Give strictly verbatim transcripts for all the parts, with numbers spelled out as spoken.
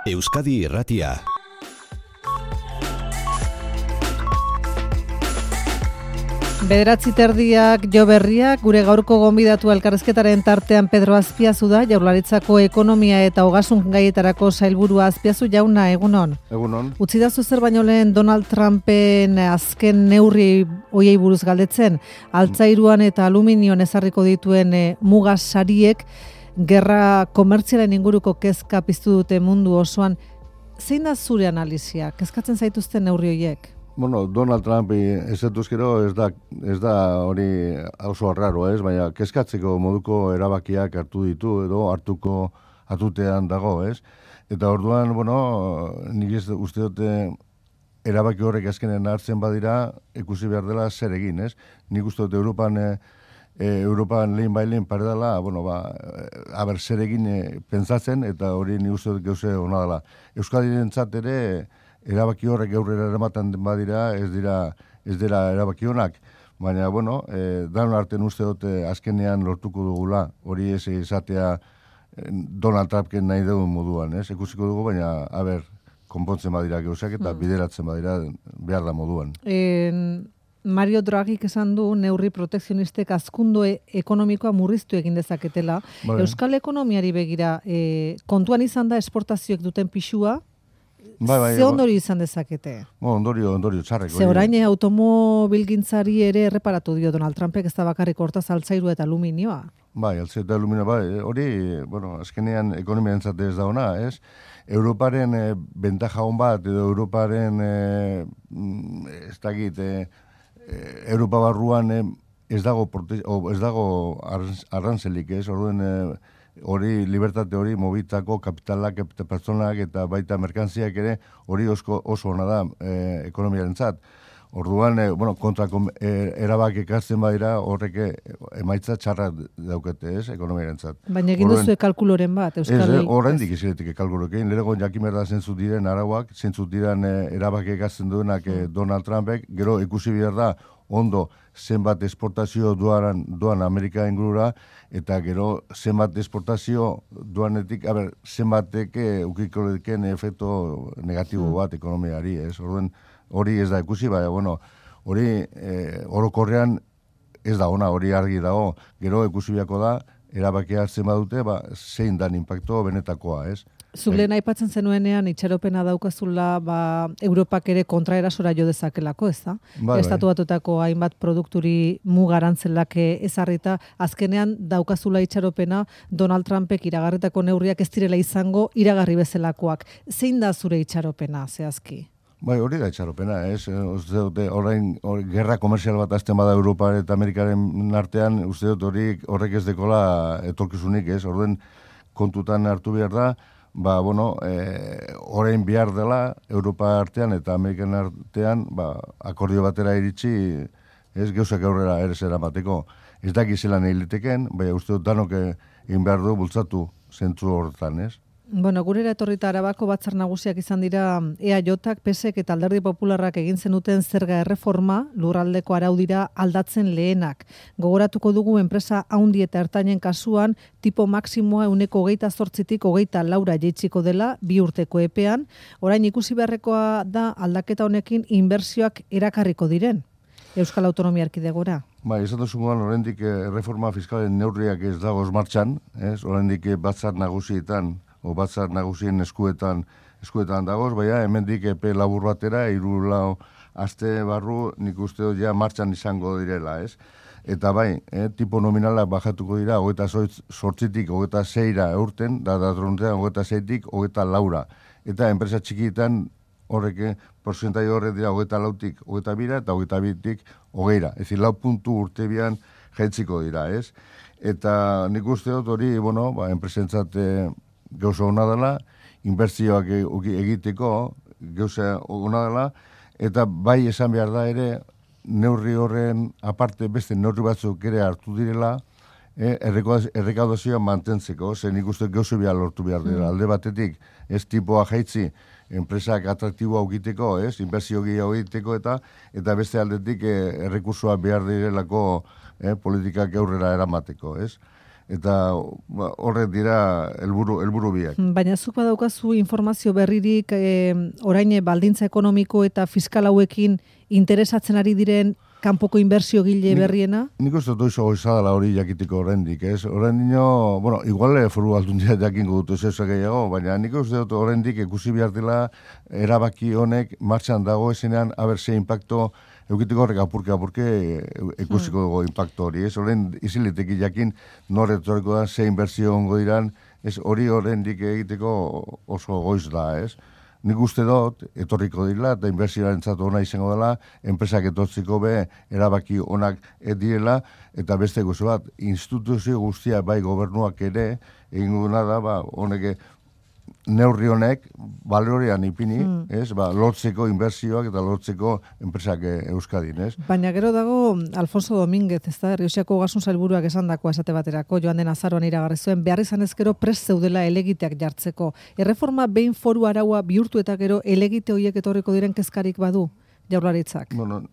Euskadi Irratia. Bederatzi terdiak jo berriak, gure gaurko gonbidatu elkarrizketaren tartean Pedro Azpiazu da, Jaurlaritzako ekonomia eta ogasun gaietarako sailburua. Azpiazu jauna, egunon. Egunon. Utzi da zer baino lehen Donald Trumpen azken neurri hoiei buruz galdetzen, altzairuan eta aluminioan ezarriko dituen e, muga sariek gerra komertzialen inguruko kezka piztu dute mundu osoan. Zein da zure analizia? Kezkatzen zaituzten neurri hoiek? Bueno, Donald Trump ezetuzkero ez da ez da hori oso raro, ez, baina kezkatzeko moduko erabakiak hartu ditu edo hartuko atutean dago, ez? Eta orduan, bueno, nik ez uste dute erabaki horrek azkenen hartzen badira, ikusi behar dela zer egin, ez? Nik uste dute Europan e, Europan lehin bailen pare dela, bueno, ba, aber zer egin e, pentsatzen, eta hori nik uste dut gauze hona dela. Euskadirentzat ere erabaki horrek aurrera eramaten badira, ez dira ez dira erabaki honak, baina bueno, eh dan artean uste dute azkenean lortuko dugula, hori ez izatea eh, Donald Trumpen nahi dugun moduan, ez? Ikusiko dugu, baina a ber, konpontzen badira gauzak eta mm. bideratzen badira behar da moduan. En Mario Draghik esan du neurri protekzionistek hazkundu ekonomikoa murriztu egin dezaketela. Bai. Euskal ekonomiari begira, e, kontuan izan da esportazioek duten pixua. Bai, bai, Ze ondorio izan dezakete? Bo, ondorio, ondorio txarrek. Ze orain automobilgintzari ere erreparatu dio Donald Trumpek, ez da bakarrik hortaz altzairu eta aluminioa. Bai, altzairu eta aluminioa, bai, hori, bueno, azkenean ekonomia entzate ez da ona, ez? Europaren e, bentaja hon bat, edo Europaren, e, ez dakit, e, Europa barruan e, ez dago, prote, o, ez dago arrantzelik, ez? Orduen, e, hori libertate hori mobilitako kapitalak eta pertsonak eta baita merkantziak ere hori oso, oso ona da e, ekonomiarentzat. Orduan, e, bueno, kontrako e, erabak ekartzen badira horrek emaitza txarra daukete, ez, ekonomiarentzat. Baina egin duzu kalkuloren bat, Euskal Ez, horrendik iziretik kalkulorekin. Lerego jakimer da zentzut diren arauak, zentzut diren e, erabak ekartzen duenak e, Donald Trumpek, gero ikusi behar da ondo zenbat esportazio duaran, doan Amerika ingurura, eta gero zenbat esportazio duanetik, a ber, zenbatek ukiko deken efekto negatibo bat ekonomiari, ez? Orduen, hori ez da ikusi, baina, bueno, hori e, orokorrean ez da ona, hori argi dago, gero ikusi biako da, erabakia hartzen badute, ba, zein dan impacto benetakoa, ez? Zuk lehen aipatzen zenuenean itxaropena daukazula ba, Europak ere kontraerasora jo dezakelako, ez da? Bai, Estatu Batuetako hainbat produkturi mugarantzelak ezarrita, azkenean daukazula itxaropena Donald Trumpek iragarritako neurriak ez direla izango iragarri bezalakoak. Zein da zure itxaropena, zehazki? Bai, hori da itxaropena, ez? Uste dute, orain, or, gerra komerzial bat azten bada Europa eta Amerikaren artean, uste dut hori horrek ez dekola etorkizunik, ez? Orduen kontutan hartu behar da, ba, bueno, e, orain behar dela Europa artean eta Amerikan artean, ba, akordio batera iritsi, ez gauzak aurrera ere zeramateko. Ez daki zelan egiteken, bai, uste dut danok egin behar du bultzatu zentzu horretan, ez? Bueno, gurera etorrita Arabako batzar nagusiak izan dira E A Jk, P S ek eta Alderdi Popularrak egin zenuten zerga erreforma lurraldeko araudira aldatzen lehenak. Gogoratuko dugu enpresa haundi eta ertainen kasuan tipo maksimoa ehuneko hogeita zortzitik hogeita laura jaitsiko dela bi urteko epean. Orain ikusi beharrekoa da aldaketa honekin inbertsioak erakarriko diren Euskal Autonomia Erkidegora. Bai, ez dut zumuan oraindik erreforma fiskalen neurriak ez dagoz martxan, ez? Oraindik batzar nagusietan o batzar nagusien eskuetan eskuetan dagoz, baina hemendik epe labur batera, hiru lau aste barru nik uste dut ja martxan izango direla, ez? Eta bai, eh, tipo nominalak bajatuko dira, hogeita zortzitik, hogeita seira eurten, da datrontean, hogeita zeitik, hogeita laura. Eta enpresa txikietan horrek, porzentai horrek dira, hogeita lautik, hogeita bira, eta hogeita bitik, hogeira. Ez lau puntu urte bian jaitziko dira, ez? Eta nik uste dut hori, bueno, ba, enpresentzat eh, gauza hona dela, inbertsioak egiteko gauza hona dela, eta bai esan behar da ere, neurri horren aparte beste neurri batzuk ere hartu direla, eh, errekaudazioa mantentzeko, zen ikusten gauza behar lortu behar dira. Mm. Alde batetik, ez tipoa jaitzi, enpresak atraktiboa egiteko, ez, inbertsio gehiago egiteko, eta eta beste aldetik eh, errekursoa behar direlako eh, politikak aurrera eramateko, ez. eta ba, horrek dira helburu helburu biak. Baina zuk badaukazu informazio berririk e, orain baldintza ekonomiko eta fiskal hauekin interesatzen ari diren kanpoko inbertsio gile berriena? Nik uste dut oso goizadala hori jakitiko oraindik, ez? Oraindino, bueno, igual foru aldundia jakingo dut ez gehiago, baina nik uste dut oraindik ikusi behar dela erabaki honek martxan dago ezenean aber ze impacto eukitiko horrek apurke apurke ikusiko dugu impacto hori, ez? Orain iziliteki jakin nor etorriko da ze inbertsio ongo diran, ez hori oraindik egiteko oso goiz da, ez? Nik uste dut, etorriko dira, eta inbertsioaren zatu ona izango dela, enpresak etortziko be, erabaki onak direla, eta beste guzu bat, instituzio guztia bai gobernuak ere, egin duna da, ba, honek neurri honek, balorean ipini, mm. ez, ba, lotzeko inbertsioak eta lotzeko enpresak Euskadin, ez? Baina gero dago Alfonso Domínguez, ez da, Errioxako Ogasun Sailburuak esandakoa esate baterako, joan den azaroan iragarri zuen, behar izan ezkero prest zeudela elegiteak jartzeko. Erreforma behin foru araua bihurtu eta gero elegite horiek etorriko diren kezkarik badu, Jaurlaritzak? Bueno,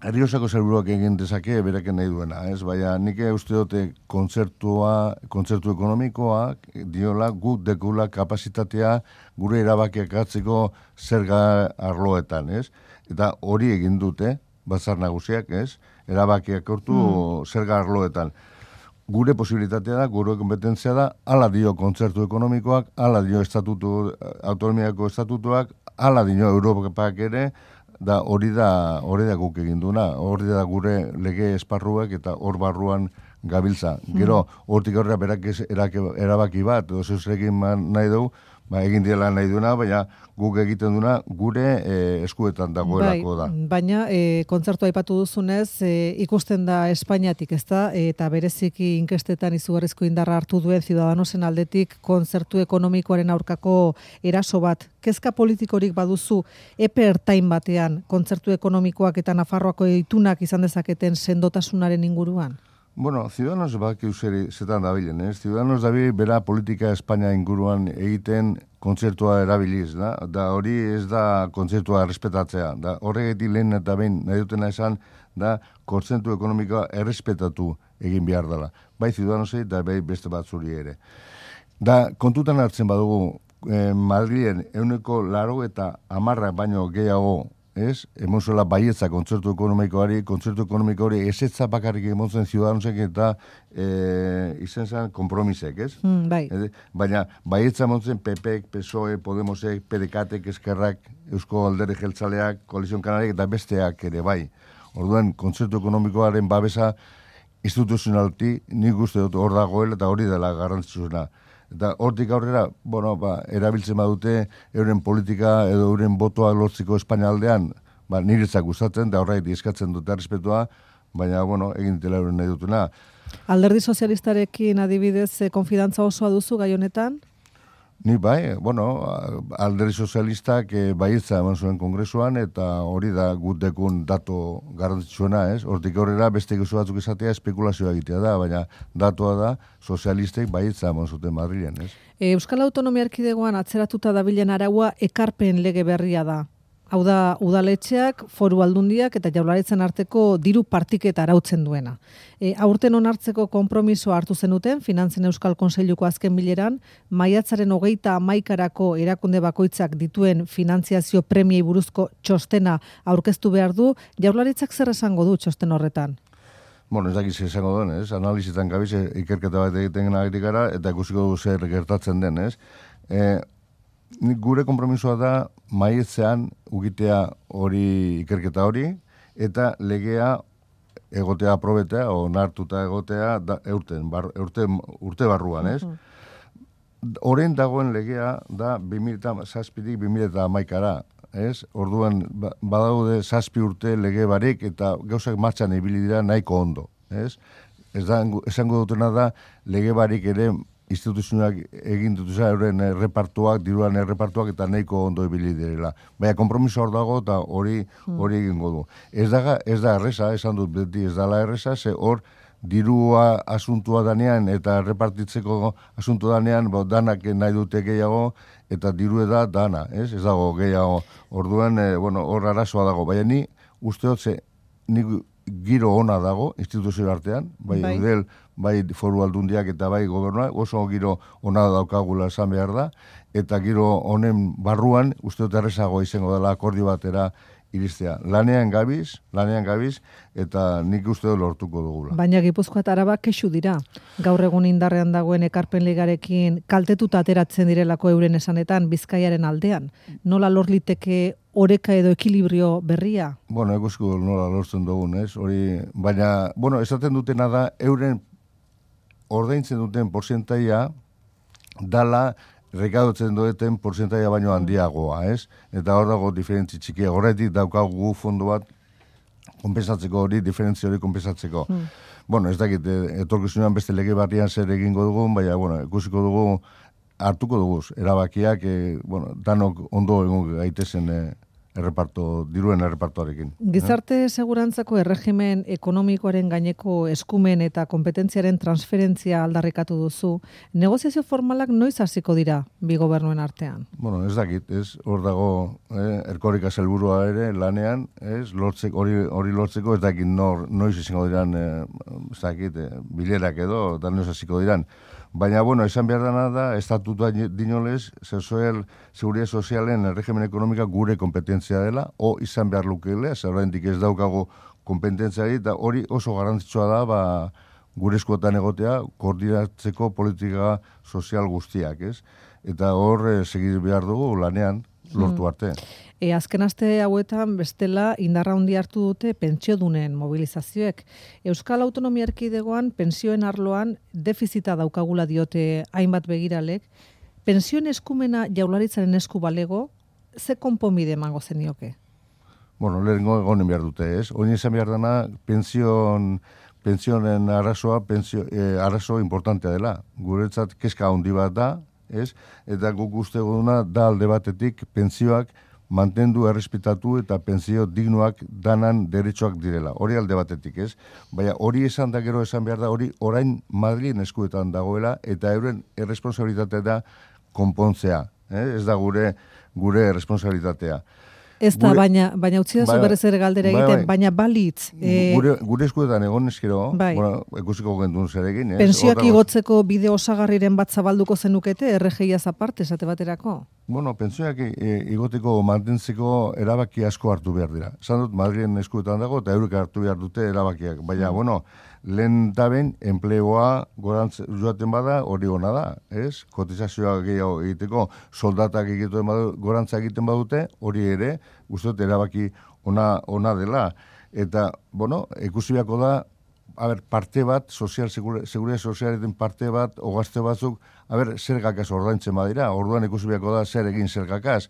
Errioxako Sailburuak egin dezake beraken nahi duena, ez? Baina nik uste dute kontzertua, kontzertu ekonomikoa diola guk dekula kapasitatea gure erabakiak hartzeko zerga arloetan, ez? Eta hori egin dute, batzar nagusiak, ez? Erabakiak hartu mm. zerga arloetan. Gure posibilitatea da, gure kompetentzia da, hala dio kontzertu ekonomikoak, hala dio estatutu, autonomiako estatutuak, hala dio Europak ere, da hori da hori da guk egin duna, hori da gure lege esparruak eta hor barruan gabiltza. Gero, hortik aurrera berak erabaki bat, oso egin nahi dugu, ba, egin diela nahi duna, baina guk egiten duna gure e, eskuetan dagoelako da. Bai, baina e, kontzertu aipatu duzunez, e, ikusten da Espainiatik, ezta, eta bereziki inkestetan izugarrizko indarra hartu duen Ciudadanosen aldetik kontzertu ekonomikoaren aurkako eraso bat. Kezka politikorik baduzu epe ertain batean kontzertu ekonomikoak eta Nafarroako itunak izan dezaketen sendotasunaren inguruan? Bueno, Ciudadanos baki useri zetan dabilen, ez? Ciudadanos dabil bera politika Espainia inguruan egiten kontzertua erabiliz, da? Da hori ez da kontzertua errespetatzea. Da horregetik lehen eta behin nahi dutena esan, da kontzertu ekonomikoa errespetatu egin behar dela. Bai Ciudadanosei eta bai beste batzuri ere. Da kontutan hartzen badugu, eh, Madrilen euneko laro eta amarra baino gehiago, ez? Emozuela baietza kontzertu ekonomikoari, kontzertu ekonomikoari esetza bakarrik emontzen Ciudadanosek eta e, izen zen kompromisek, ez? Mm, bai. E, baina baietza emontzen P Pek, P S O E, Podemosek, P D K Tek, Eskerrak, Eusko Alderdi Jeltzaleak, Koalizion Kanariak eta besteak ere bai. Orduan, kontzertu ekonomikoaren babesa instituzionalti nik uste dut hor dagoela eta hori dela garrantzitsuna. Eta hortik aurrera, bueno, ba, erabiltzen badute euren politika edo euren botoa lortzeko Espainia aldean, ba, niretzak gustatzen, da horretik eskatzen dute errespetua, baina, bueno, egin dela euren nahi dutuna. Alderdi sozialistarekin adibidez, konfidantza osoa duzu gai honetan? Ni bai, bueno, Alderdi sozialistak e, baietza eman zuen kongresuan, eta hori da gutekun dato garrantzitsuena, ez? Hortik aurrera beste gauza batzuk esatea espekulazioa egitea da, baina datua da sozialistek baietza eman zuten Madrilen, ez? Euskal Autonomia Erkidegoan atzeratuta dabilen araua ekarpen lege berria da. Hau da, udaletxeak, foru aldundiak eta Jaurlaritzan arteko diru partiketa arautzen duena. E, aurten onartzeko konpromiso hartu zenuten, Finantzen Euskal Kontseiluko azken bileran, maiatzaren hogeita hamaikarako erakunde bakoitzak dituen finantziazio premiei buruzko txostena aurkeztu behar du, Jaurlaritzak zer esango du txosten horretan? Bueno, ez dakiz esango duen, ez? Analizitan gabiz ikerketa bat egiten ari gara eta ikusiko du zer gertatzen den, ez? E, Gure konpromisoa da maietzean ugitea hori ikerketa hori eta legea egotea aprobetea o onartuta egotea da, eurten, bar, urte, urte barruan, ez? Horren dagoen legea da bi mila zazpitik bi mila hamaikara, ez? Orduan badaude zazpi urte lege barik eta gauzak martxan ibili dira nahiko ondo, ez? Ez da, esango dutena da lege barik ere instituzioak egin dutuza euren errepartuak, diruan errepartuak eta nahiko ondo ibili direla. Baina konpromiso hor dago eta hori hori egingo du. Ez da, ez da erresa, esan dut beti ez dala erresa, ze hor dirua asuntua danean eta repartitzeko asuntu danean, bo, danak nahi dute gehiago eta diru da dana, ez? Ez dago gehiago. Orduan, e, bueno, hor arazoa dago. Baina ni uste dut ze, ni giro ona dago instituzio artean, bai, bai. Eudel, bai foru aldundiak eta bai gobernuak, oso giro ona daukagula esan behar da, eta giro honen barruan, uste dut errezago izango dela akordio batera iristea. Lanean gabiz, lanean gabiz, eta nik uste dut lortuko dugula. Baina Gipuzkoa eta Araba kexu dira. Gaur egun indarrean dagoen ekarpen legarekin kaltetuta ateratzen direlako euren esanetan Bizkaiaren aldean. Nola lor liteke oreka edo ekilibrio berria? Bueno, ikusko nola lortzen dugun, ez? Hori, baina, bueno, esaten dutena da, euren ordaintzen duten porcentaia dala rekadotzen duten porcentaia baino handiagoa, ez? Eta hor dago diferentzi txikia. Horretik daukagu fondo bat konpensatzeko hori, diferentzia hori konpensatzeko. Mm. Bueno, ez dakit, etorkizunean beste lege barrian zer egingo dugun, baina, bueno, ikusiko dugu, hartuko dugu, erabakiak, e, bueno, danok ondo egon gaitezen e, erreparto, diruen errepartoarekin. Gizarte segurantzako erregimen ekonomikoaren gaineko eskumen eta kompetentziaren transferentzia aldarrikatu duzu. Negoziazio formalak noiz hasiko dira bi gobernuen artean? Bueno, ez dakit, ez, hor dago eh, Erkoreka sailburua ere lanean, ez, lortzeko, hori, hori lortzeko, ez dakit nor, noiz izango diran, eh, ez dakit, eh, bilerak edo, eta noiz hasiko diran. Baina, bueno, esan behar dena da, estatutua dinolez, sozial, seguridad sozialen erregimen ekonomika gure kompetentzia dela, o izan behar lukeile, zerrendik ez daukago kompetentzia eta hori oso garrantzitsua da, ba, gure eskuetan egotea, koordinatzeko politika sozial guztiak, ez? Eta hor, eh, segir behar dugu lanean, lortu arte. E, azken aste hauetan bestela indarra handi hartu dute pentsiodunen mobilizazioek. Euskal Autonomia Erkidegoan pentsioen arloan defizita daukagula diote hainbat begiralek. Pentsioen eskumena Jaurlaritzaren esku balego, ze konponbide emango zenioke? Bueno, lehengo egonen behar dute, ez? Oin izan behar dena, pension, pensionen arazoa, pensio, eh, arazo importantea dela. Guretzat kezka handi bat da, ez? Eta guk uste duguna da alde batetik pentsioak mantendu, errespetatu eta pentsio dignuak danan deretsuak direla. Hori alde batetik, ez? Baina hori esan da gero esan behar da, hori orain Madrilen eskuetan dagoela eta euren erresponsabilitatea da konpontzea. Eh? Ez da gure gure erresponsabilitatea. Ez da, baina, baina utzi da zu berrez ere galdera bai, egiten, bai. baina balitz. E, gure, gure eskuetan egon eskero, bai. Bueno, ikusiko gendun zer egin. Pensioak igotzeko bide osagarriren bat zabalduko zenukete, R G I-az aparte, esate baterako? Bueno, pensioak e, igoteko mantentzeko erabaki asko hartu behar dira. Esan dut, Madrilen eskuetan dago, eta eurek hartu behar dute erabakiak. Baina, mm. bueno, lehen taben, enplegoa gorantz joaten bada, hori ona da, ez? Kotizazioa gehiago egiteko, soldatak egiten badu, gorantza egiten badute, hori ere, uste dut erabaki ona, ona dela. Eta, bueno, ikusi beharko da, a ber, parte bat, sozial, seguridad sozialeten parte bat, ogazte batzuk, a ber, zergakaz ordaintzen badira, orduan ikusi beharko da zer egin zergakaz.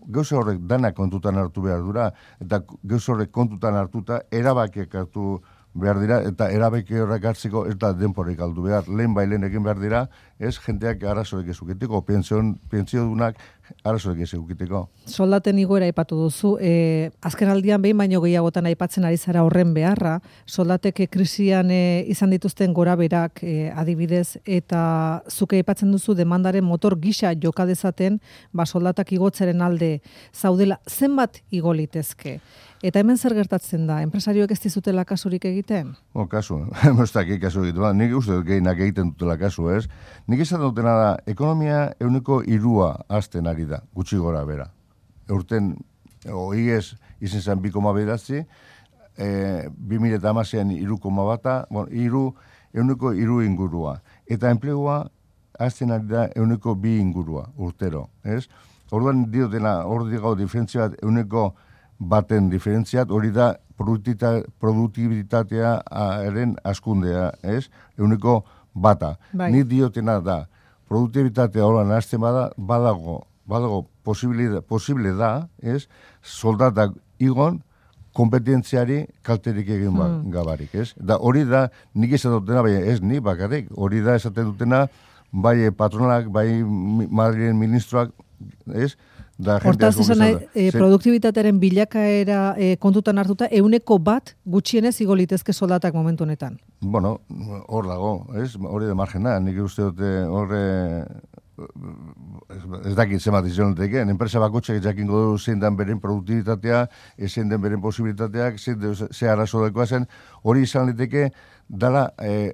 Gauza horrek dana kontutan hartu behar dura, eta gauza horrek kontutan hartuta, erabakiak hartu behar dira, eta erabeki horrek hartzeko ez da denporik aldu behar. Lehen bai lehen egin behar dira, ez jendeak arazorik ezukiteko, pentsio dunak arazorik ezukiteko. Soldaten igoera aipatu duzu, e, azken aldian behin baino gehiagotan aipatzen ari zara horren beharra, soldateke krisian e, izan dituzten gora berak e, adibidez, eta zuke aipatzen duzu demandaren motor gisa joka dezaten, ba soldatak igotzaren alde zaudela, zenbat igo litezke? Eta hemen zer gertatzen da? Enpresarioek ez dizutela kasurik egiten? O, kasu. Ez dakit kasu egiten. Nik uste dut gehienak egiten dutela kasu, ez? Nik esaten dutena da, ekonomia euneko irua azten ari da, gutxi gora bera. Eurten, oiez, izen zen bi koma bederatzi, e, bi mila eta hamasean iru koma bata, bueno, iru, euneko iru ingurua. Eta enplegua azten ari da euneko bi ingurua, urtero, ez? Orduan diotena, hor digau diferentzia bat, euneko baten diferentziat, hori da produktibitatea eren askundea, ez? Euneko bata. Bai. Ni diotena da, produktibitatea horan azten bada, badago, badago posible, posible da, ez? Soldatak igon, kompetentziari kalterik egin hmm. gabarik, ez? Da hori da, nik esaten dutena, bai ez ni bakarrik, hori da esaten dutena, bai patronalak, bai Madrilen ministroak, ez? Hortaz, esan nahi, e, produktibitatearen bilakaera e, kontutan hartuta, euneko bat gutxienez igo litezke soldatak momentu honetan. Bueno, hor dago, ez? Hori de margena, nik uste dute horre, ez dakit zemat izan duteke, enpresa bakotxak jakingo du zein den beren produktibitatea, zein den beren posibilitateak, zein ze arazo dakoa zen, hori izan liteke, dala, e,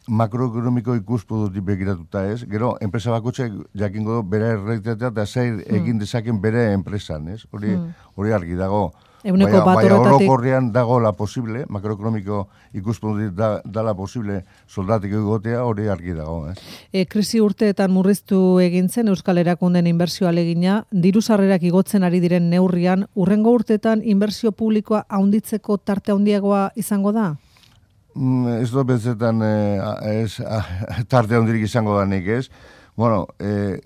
makroekonomiko ikuspuntutik begiratuta ez, gero, enpresa bakotxek jakingo du bere errealitatea eta zer egin dezaken bere enpresan, ez? Hori, hori argi dago. Euneko bat horretatik... horretatik... orokorrean dago la posible, makroekonomiko ikuspuntutik da, da la posible soldatik egotea, hori argi dago. Eh? E, krisi urteetan murriztu egin zen Euskal Erakunden inbertsio alegina, diru sarrerak igotzen ari diren neurrian, urrengo urteetan inbertsio publikoa haunditzeko tarte handiagoa izango da? Mm, ez dut betzetan eh, ez, tarte handirik izango da nik ez. Bueno, eh,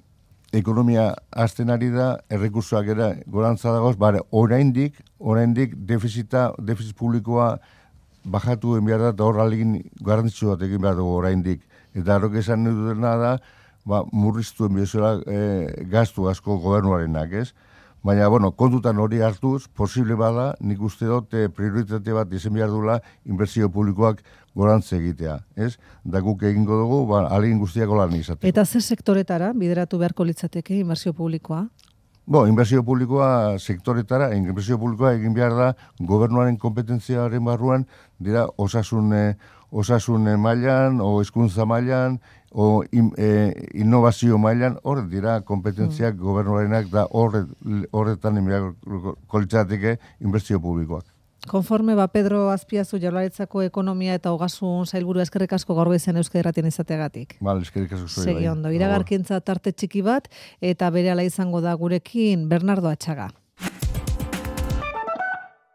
ekonomia azten ari da, errekursoak era gorantza dagoz, bare, oraindik, oraindik defizita, defizit publikoa bajatu egin behar da, eta hor alegin garrantzitsu bat egin behar dugu oraindik. Eta horrek esan dutena da, ba, murriztu enbiozuela e, gaztu asko gobernuarenak, ez? Baina, bueno, kontutan hori hartuz, posible bada, nik uste dut e, prioritate bat izan behar dula inbertsio publikoak gorantze egitea, ez? Da guk egingo dugu, ba, alegin guztiako lan izateko. Eta ze sektoretara bideratu beharko litzateke inbertsio publikoa? Bo, inbertsio publikoa sektoretara, inbertsio publikoa egin behar da gobernuaren kompetentziaren barruan, dira osasun, eh, osasun mailan, o hezkuntza mailan, o in, eh, innovazio mailan, hor dira kompetentziak mm. gobernuarenak da horretan inbertsio litzateke inbertsio publikoak. Konforme ba Pedro Azpiazu Jaurlaritzako ekonomia eta ogasun sailburu eskerrik asko gaur goizean Euskadi Irratian izateagatik. Vale, eskerrik asko zuri. Segi ondo, iragarkintza tarte txiki bat eta berehala izango da gurekin Bernardo Atxaga.